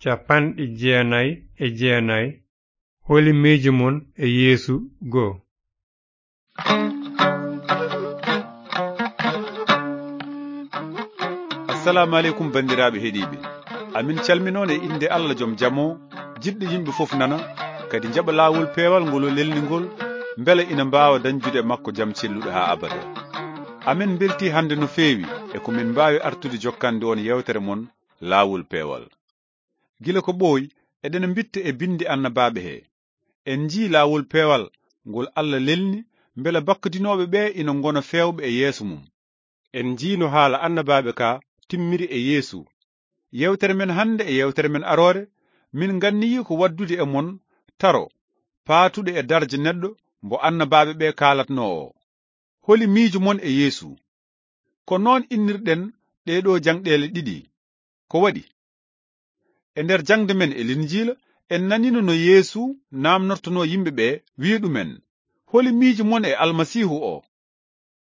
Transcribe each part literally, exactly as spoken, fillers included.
Cappanɗe jeenayi e jeenayi. Holi miijo mon e Yeesu goo? Assalamu aleykum, banndiraaɓe heɗiiɓe. Amin calminoon e innde Allah joom jam o, jiɗɗo yimɓe fof nana, kadi njaɓa laawol peewal ngol o lelni ngol, mbele ina mbaawa dañjude e makko jam celluɗo haa abada. Amin mbeltii hannde no feewi e ko min mbaawi artude jokkande on yeewtere mon, Laawol Peewal. Gila ko ɓooyi, eɗen mbitta e binndi annabaaɓe he. En njii laawol peewal ngol Allah lelni, mbele bakkadinooɓe ɓe ina ngona feewɓe e yeeso mum. En njii no haala annabaaɓe ka timmiri e Yeesu. Yeewtere men hannde e yeewtere men aroore, min nganniyii ko waddude e mon taro paatuɗo e darja neɗɗo mbo annabaaɓe ɓe kaalatnoo o. Holi miijo mon e Yeesu? Ko noon innirɗen ɗee ɗoo jangɗeele ɗiɗi. Ko waɗi? E nder jangde men e Linjiila, en nanino no Yeesu naamnortonoo yimɓe ɓe, wi'i ɗumen, "Holi miijo mon e Almasiihu o?"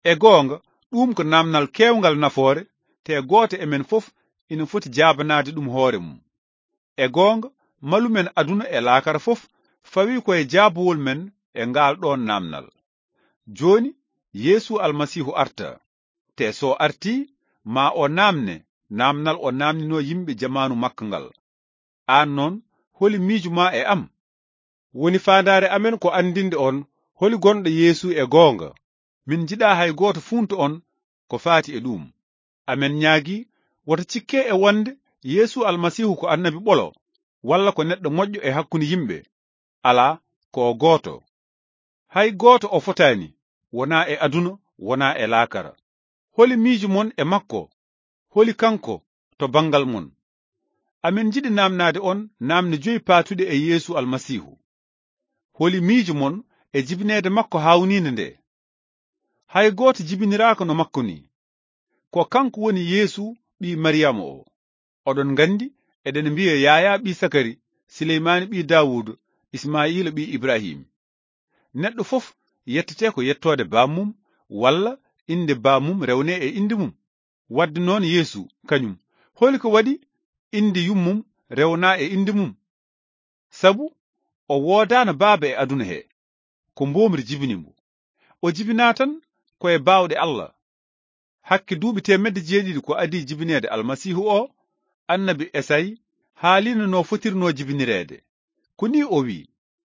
E goonga, ɗum ko naamnal keewngal nafoore, te gooto e men fof ina foti jaabanaade ɗum hoore mum. E goonga, malu men aduna e laakara fof fawii ko e jaabowol men e ngaal ɗoon naamnal. Jooni, Yeesu Almasiihu arta, te so artii, ma o naamne naamnal o naamninoo yimɓe jamaanu makko ngal. Aan noon, holi miijo ma e am? Woni faandaare amen ko anndinde on holi gonɗo Yeesu e goonga. Min njiɗaa hay gooto fuunta on ko faati e ɗuum. Amen ñaagii, woto cikke e wonde Yeesu Almasiihu ko annabi ɓolo, walla ko neɗɗo moƴƴo e hakkunde yimɓe. Alaa, ko o gooto. Hay gooto o fotaani, wonaa e aduna, wonaa e laakara. Holi miijo mon e makko? Holi kanko to banngal mon? Amin njiɗi naamnaade on naamne joyi paatuɗe e Yeesu Almasiihu. Holi miijo mon e jibineede makko haawniinde nde? Hay gooto jibiniraaka no makko ni. Ko kanko woni Yeesu ɓii Mariyama o. Oɗon nganndi, eɗen mbiya Yaayaa ɓii Sakari, Sileymaani ɓii Daawuuda, Ismaa'iila ɓii Ibrahim. Neɗɗo fof yettete ko yettoode baam mum, walla innde baam mum rewnee e innde mum. Wadde noon Yeesu, kañum, holi ko waɗi innde yummum rewnaa e innde mum? Sabu o woodaano baaba e aduna he, ko mboomri jibini mbo. O jibinaa tan ko e baawɗe Allah. Hakke duuɓi teemedde jeeɗiɗi ko adii jibineede Almasiihu o, annabi Esayi haalino no fotirnoo jibinireede. Ko nii o wi'i,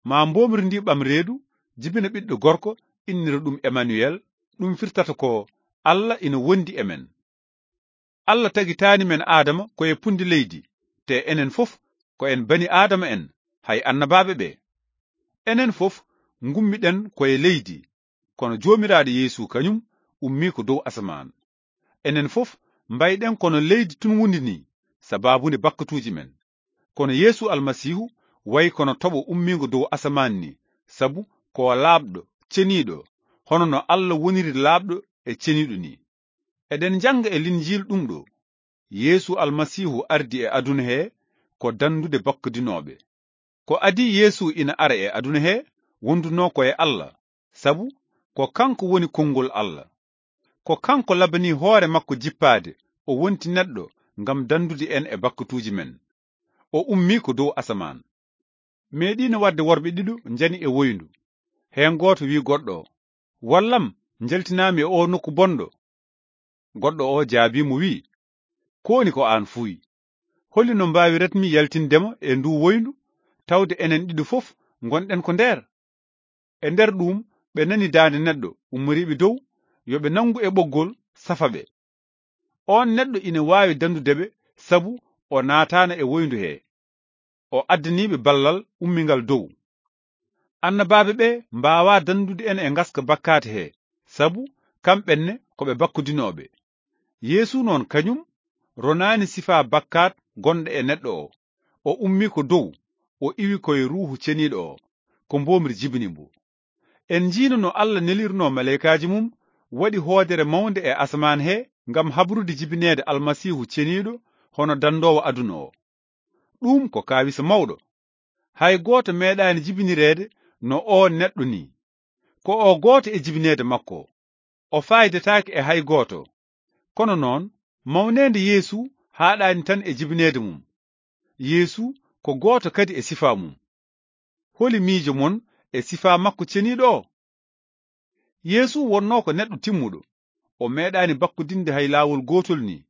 "Ma mboomri ndi ɓam reedu, jibina ɓiɗɗo gorko, innira ɗum Emanuwel, ɗum firtata ko, Allah ina wondi e men." Allah tagitaani men Aadama ko e punndi leydi, te enen fof ko en bani Aadama en, hay annabaaɓe ɓe. Enen fof ngummiɗen ko e leydi, kono Joomiraaɗo Yeesu kañum ummii ko dow asamaan. Enen fof mbayɗen kono leydi tunwundi ni, sabaabu nde bakkatuuji men. Kono Yeesu Almasiihu wayi kono toɓo ummiingo dow asamaan ni, sabu ko o laaɓɗo, ceniiɗo, hono no Allah woniri laaɓɗo e ceniiɗo ni. Eɗen njannga e Linjiil ɗum ɗo, Yeesu Almasiihu ardi e aduna he ko danndude bakkadinooɓe. Ko adii Yeesu ina ara e aduna he, wondunoo ko e Allah, sabu ko kanko woni konngol Allah. Ko kanko labanii hoore makko jippaade, o wonti neɗɗo ngam danndude en e bakkatuuji men. O ummii ko dow asamaan. Meeɗiino waɗde worɓe ɗiɗo njani e woyndu. Heen gooto wi'i goɗɗo o, "Wallam, njaltinaami e oo nokku bonɗo." Goɗɗo o jaabii mo wi'i, "Kooni ko aan fuuyi. Holi no mbaawiratmi yaltinde ma e nduu woyndu, tawde enen ɗiɗo fof ngonɗen ko nder?" E nder ɗuum, ɓe nani daande neɗɗo ummoriiɓe dow, yo ɓe nanngu e ɓoggol safa ɓe. Oon neɗɗo ina waawi danndude ɓe, sabu o naataano e woyndu he. O addanii ɓe ballal ummingal dow. Annabaaɓe ɓe mbaawaa danndude en e ngaska bakkaat he, sabu kamɓe ne ko ɓe bakkudinooɓe. Yeesu noon kañum ronaani sifaa bakkaat gonɗo e neɗɗo o. O ummii ko dow, o iwi ko e Ruuhu Ceniiɗo o, ko mboomri jibini mbo. En njiino no Allah nelirnoo maleykaaji mum, waɗi hoodere mawnde e asamaan he ngam habrude jibineede Almasiihu ceniiɗo hono danndoowo aduna o. Ɗum ko kaawisa mawɗo. Hay gooto meeɗaani jibinireede no oo neɗɗo nii. Ko o gooto e jibineede makko. O faaydetaake e hay gooto. Kono noon, mawneende Yeesu haaɗaani tan e jibineede mum. Yeesu ko gooto kadi e sifaa mum. Holi miijo mon e sifaa makko ceniiɗo o? Yeesu wonnoo ko neɗɗo timmuɗo. O meeɗaani bakkudinde hay laawol gootol nii.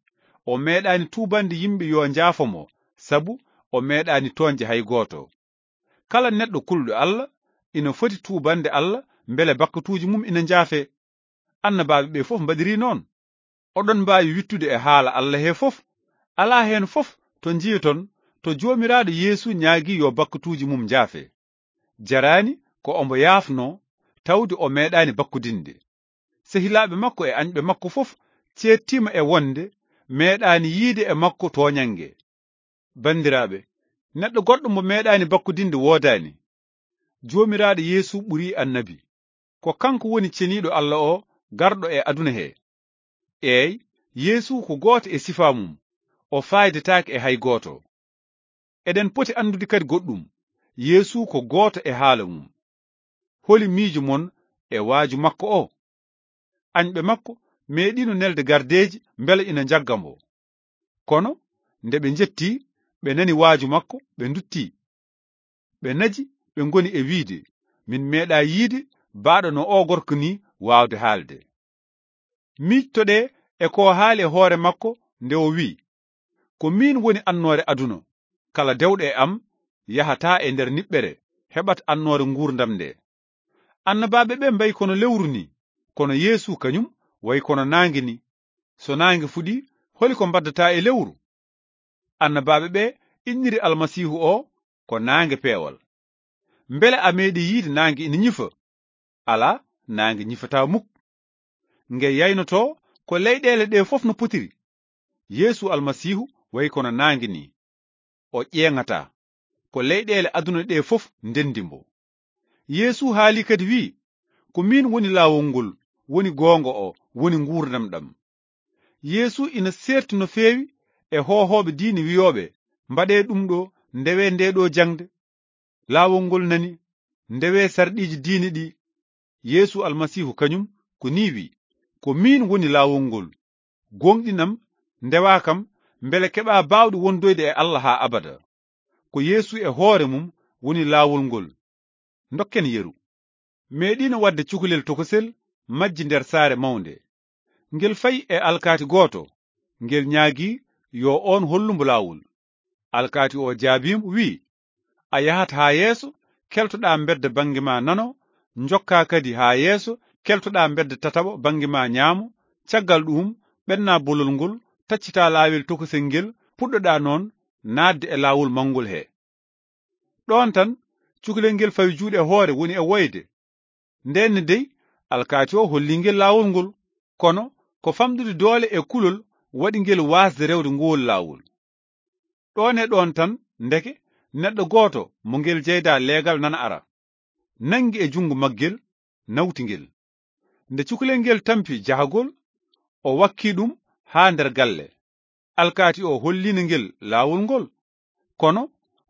O meeɗaani tuubande yimɓe yo njaafo mo, sabu o meeɗaani tooñde hay gooto. Kala neɗɗo kulɗo Alla ina foti tuubande Alla mbele bakkatuuji mum ina njaafee. Annabaaɓe ɓee fof mbaɗirii noon. Oɗon mbaawi wiɗtude e haala Alla hee fof. Alaa heen fof to njiyoton to Joomiraaɗo Yeesu ñaagii yo bakkatuuji mum njaafe. Jaraani ko omo yaafnoo, tawde o meeɗaani bakkudinde. Sehilaaɓe makko e añɓe makko fof ceedtiima e wonde meeɗaani yiyde e makko tooñannge. Banndiraaɓe, neɗɗo goɗɗo mo meeɗaani bakkudinde woodaani. Joomiraaɗo Yeesu ɓurii annabi. Ko kanko woni ceniiɗo Alla o garɗo e aduna he. Eey, Yeesu ko gooto e sifaa mum, o faaydetaake e hay gooto. Eɗen poti anndude kadi goɗɗum, Yeesu ko gooto e haala mum. Holi miijo mon e waaju makko o? Añɓe makko meeɗiino nelde gardeeji mbele ina njagga mbo. Kono nde ɓe njettii, ɓe nani waaju makko, ɓe nduttii. Ɓe naji, ɓe ngoni e wiyde, "Min meeɗaa yiyde baaɗo no oo gorko nii waawde haalde." Miijtoɗee e ko o haali e hoore makko nde o wiyi, "Ko miin woni annoore aduna. Kala dewɗo e am yahataa e nder niɓɓere, heɓat annoore nguurndam nde." Annabaaɓe ɓe mbayi kono lewru nii, kono Yeesu kañum wayi kono naange nii. So naange fuɗii, holi ko mbaddata e lewru? Annabaaɓe ɓe inniri Almasiihu o ko naange peewal. Mbele a meeɗii yiyde naange ina ñifa? Alaa, naange ñifataa muk. Nge yaynotoo ko leyɗeele ɗe fof no potiri. Yeesu Almasiihu wayi kono naange nii. O ƴeeŋataa. Ko leyɗeele aduna ɗe fof ndenndi mbo. Yeesu haali kadi wiyi, "Ko miin woni laawol ngol, woni goonga o, woni nguurndam ɗam." Yeesu ina seerti no feewi e hoohooɓe diine wiyooɓe, "Mbaɗee ɗum ɗo, ndewee ndee ɗo jaŋde." Laawol ngol nani, "Ndewee sarɗiiji diine ɗi." Yeesu Almasiihu kañum ko nii wiyi, "Ko miin woni laawol ngol. Gooŋɗinam, ndewaa kam, mbele keɓaa baawɗe wondoyde e Alla haa abada." Ko Yeesu e hoore mum woni laawol ngol. Ndokken yeru. Meeɗiino waɗde cukalel tokosel majji nder saare mawnde. Ngel fayi e alkaati gooto, ngel ñaagii yo oon hollu mbo laawol. Alkaati o jaabii mo, wiyi, "A yahat haa yeeso, keltoɗaa mbedda bannge ma nano, njokkaa kadi haa yeeso, keltoɗaa mbedda tataɓo bannge ma ñaamo, caggal ɗuum, ɓennaa bolol ngol, taccitaa laawel tokosel ngel, puɗɗoɗaa noon naatde e laawol mawngol he." Ɗoon tan, cukalel ngel fawi juuɗe hoore, woni e woyde. Ndeen ne dey, alkaati o hollii ngel laawol ngol, kono ko famɗude doole e kulol waɗi ngel waasde rewde ngool laawol. Ɗoon e ɗoon tan, ndeke, neɗɗo gooto mo ngel jeydaa leegal nana ara, nanngi e junngo maggel, nawti ngel. Nde cukalel ngel tampi jahagol, o wakki ɗum haa nder galle. Alkaati o holliino ngel laawol ngol, kono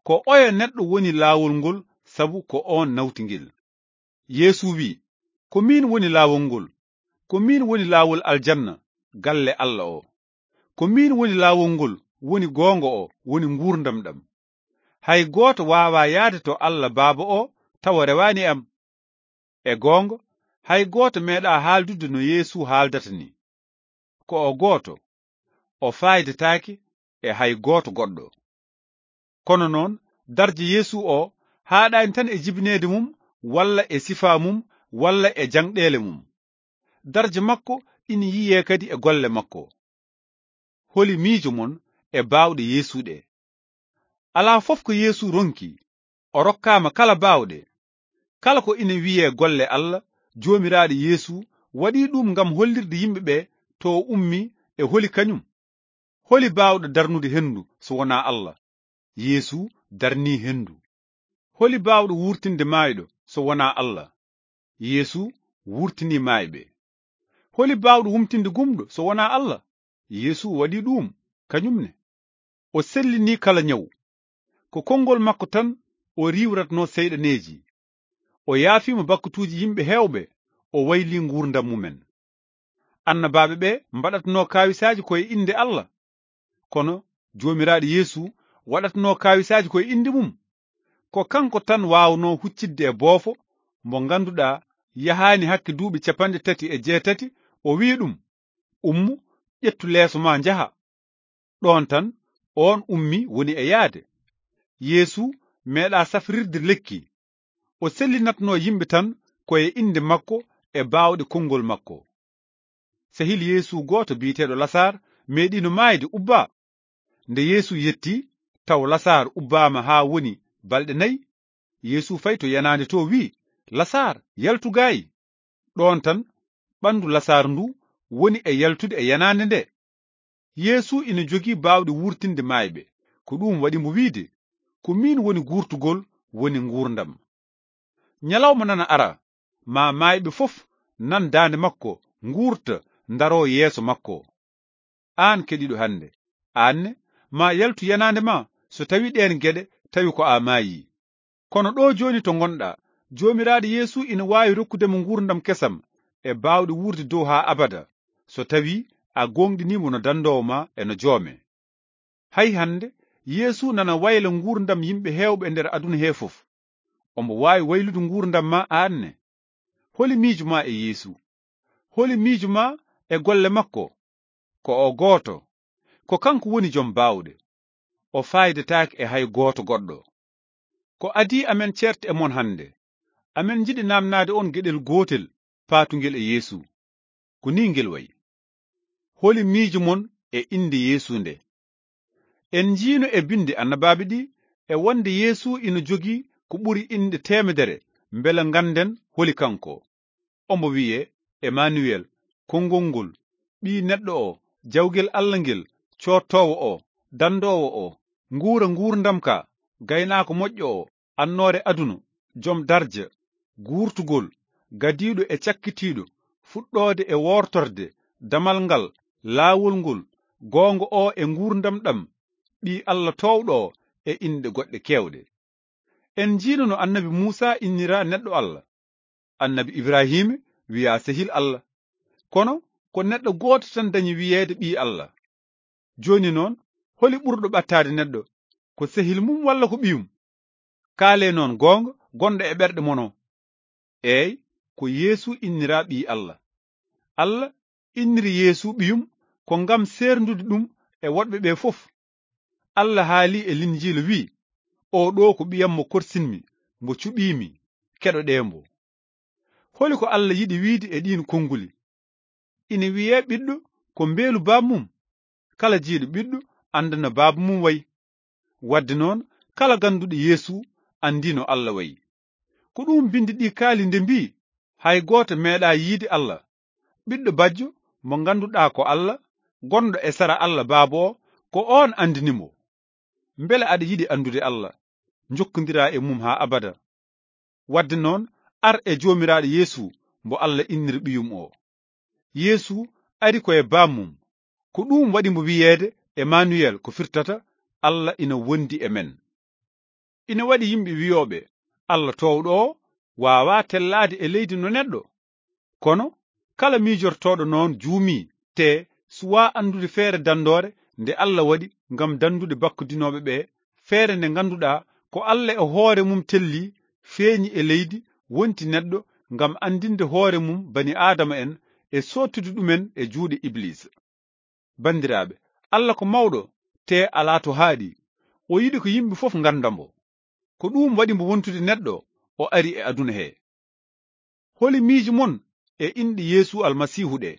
ko oya neɗɗo woni laawol ngol, sabu ko oon nawti ngel. Yeesu wiyi, "Ko miin woni laawol ngol, ko miin woni laawol aljanna, galle Alla o. Ko miin woni laawol ngol, woni goonga o, woni nguurndam ɗam. Hay gooto waawaa yahde to Alla Baaba o tawa rewaani e am." E goonga, hay gooto meeɗaa haaldude no Yeesu haaldata nii. Ko o gooto, o faaydetaake e hay gooto goɗɗo. Kono noon, darje Yeesu o haaɗaani tan e jibineede mum, walla e sifaa mum, walla e jaŋɗeele mum. Darje makko ina yiyee kadi e golle makko. Holi miijo mon e baawɗe Yeesu ɗe? Alaa fof ko Yeesu ronki, o rokkaama kala baawɗe. Kala ko ina wiyee golle Alla, Joomiraaɗo Yeesu waɗii ɗum ngam hollirde yimɓe ɓe to o ummii e holi kañum. Holi baawɗo darnude henndu so wonaa Alla? Yeesu darnii henndu. Holi baawɗo wuurtinde maayɗo so wonaa Alla? Yeesu wuurtinii maayɓe. Holi baawɗo wumtinde gumɗo so wonaa Alla? Yeesu waɗii ɗuum kañum ne. O sellinii kala ñaw. Ko konngol makko tan o riiwratnoo seyɗaneeji. O yaafiima bakkatuuji yimɓe heewɓe, o waylii nguurndam mumen. Annabaaɓe ɓe mbaɗatnoo kaawisaaji ko e innde Alla. Kono Joomiraaɗo Yeesu waɗatnoo kaawisaaji ko e innde mum. Ko kanko tan waawnoo huccitde e boofo mbo ngannduɗaa yahaani hakke duuɓi capanɗe tati e jeetati, o wi'i ɗum: "Ummu, ƴettu leeso ma njaha." Ɗoon tan, oon ummi woni e yahde. Yeesu meeɗaa safrirde lekki. O sellinatnoo yimɓe tan ko e innde makko e baawɗe konngol makko. Sehil Yeesu gooto biyeteeɗo Lasaar meeɗiino maayde, ubbaa. Nde Yeesu yettii, taw Lasaar ubbaama haa woni balɗe nayi. Yeesu fayi to yanaande to, wi'i: "Lasaar, yaltu gaay!" Ɗoon tan, ɓanndu Lasaar ndu woni e yaltude e yanaande nde. Yeesu ina jogii baawɗe wuurtinde maayɓe. Ko ɗuum waɗi mo wi'de: "Ko miin woni guurtugol, woni nguurndam." Ñalawma nana ara, maa maayɓe fof nan daande makko, nguurta, ndaroo yeeso makko. Aan keɗiiɗo hannde, aan ne, maa yaltu yanaande ma, so tawi ɗeen geɗe tawi ko a maayii. Kono ɗo jooni to ngonɗaa, Joomiraaɗo Yeesu ina waawi rokkude mo nguurndam kesam e baawɗe wuurde dow haa abada, so tawi a gooŋɗinii mo no danndoowo ma e no joome. Hay hannde, Yeesu nana wayla nguurndam yimɓe heewɓe e nder aduna hee fof. Omo waawi waylude nguurndam ma aan ne. Holi miijo ma e Yeesu? Holi miijo ma e golle makko? Ko o gooto. Ko kanko woni jom baawɗe. O faayidataake e hay gooto goɗɗo. Ko adii amen ceerte e mon hannde, amen njiɗi naamnaade on geɗel gootel paatungel e Yeesu. Ko nii ngel wayi: "Holi miijo mon e innde Yeesu nde?" En njiino e bindi annabaaɓe ɗi e wonde Yeesu ina jogii ko ɓuri inɗe teemedere, mbele ngannden holi kanko. Omo wiyee Emanuwel, konngol ngol, Ɓii neɗɗo o, jawgel Alla ngel, coottoowo o, danndoowo o, nguura nguurndam ka, gaynaako moƴƴo o, annoore aduna, jom darja, guurtugol, gadiiɗo e cakkitiiɗo, fuɗɗoode e woortorde, damal ngal, laawol ngol, goonga o e nguurndam ɗam, Ɓii Alla toowɗo o, e inɗe goɗɗe keewɗe. En njiino no annabi Muusa innira neɗɗo Alla. Annabi Ibraahiima wiyaa sehil Alla. Kono ko neɗɗo gooto tan dañi wiyeede ɓii Alla. Jooni noon, holi ɓurɗo ɓattaade neɗɗo? Ko sehil mum walla ko ɓiyum? Kaalee noon goonga gonɗo e ɓerɗe mon o. Eey, ko Yeesu inniraa ɓii Alla. Alla inniri Yeesu ɓiyum ko ngam seerndude ɗum e woɗɓe ɓe fof. Alla haalii e Linjiila, wi'i: "Oo ɗoo ko ɓiyam mo korsinmi, mo cuɓiimi, keɗoɗee mbo." Holi ko Alla yiɗi wiide e ɗiin konnguli? Ina wiyee ɓiɗɗo ko mbeelu baaba mum. Kala jeyɗo ɓiɗɗo annda no baaba mum wayi. Wadde noon, kala gannduɗo Yeesu anndii no Alla wayi. Ko ɗum bindi ɗi kaali nde mbii: "Hay gooto meeɗaa yiide Alla. Ɓiɗɗo bajjo mo ngannduɗaa ko Alla, gonɗo e sara Alla Baaba o, ko oon anndini mo." Mbele aɗa yiɗi anndude Alla, njokkondiraa e mum haa abada? Wadde noon, ar e Joomiraaɗo Yeesu mo Alla inniri ɓiyum o. Yeesu ari ko e baaba mum. Ko ɗum waɗi mo wiyeede Emanuwel, ko firtata Alla ina wondi e men. Ina waɗi yimɓe wiyooɓe Alla toowɗo o waawaa tellaade e leydi no neɗɗo. Kono kala miijortooɗo noon juumii, te suwaa anndude feere danndoore nde Alla waɗi ngam danndude bakkudinooɓe ɓe, feere nde ngannduɗaa ko Alla e hoore mum tellii, feeñi e leydi, wonti neɗɗo, ngam anndinde hoore mum bani Aadama en e soottude ɗumen e juuɗe Ibliisa. Banndiraaɓe, Alla ko mawɗo, te alaa to haaɗi. O yiɗi ko yimɓe fof ngannda mbo. Ko ɗum waɗi mbo wontude neɗɗo, o ari e aduna he. Holi miijo mon e inɗe Yeesu Almasiihu ɗe?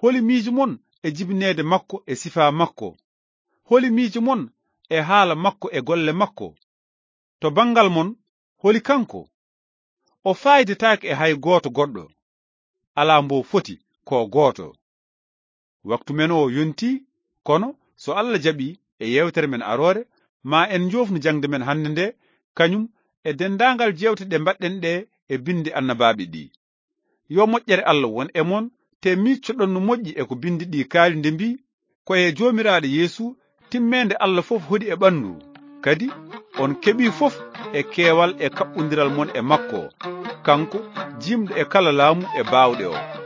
Holi miijo mon e jibineede makko e sifaa makko? Holi miijo mon e haala makko e golle makko? To banngal mon, holi kanko? O faayidetaake e hay gooto goɗɗo. Alaa mbo foti, ko gooto. Waktu men o yontii, kono so Alla jaɓii, e yeewtere men aroore, ma en njoofnu jaŋde men hannde nde, kañum e denndaangal jeewte ɗe mbaɗɗen ɗe e bindi annabaaɓe ɗi. Yo moƴƴere Alla won e mon, te miiccoɗon no moƴƴi e ko bindi ɗi kaali nde mbii: "Ko e Joomiraaɗo Yeesu timmeende Alla fof hoɗi e ɓanndu, kadi on keɓii fof e keewal e kaɓɓondiral mon e makko, kanko jiimɗo e kala laamu e baawɗe o."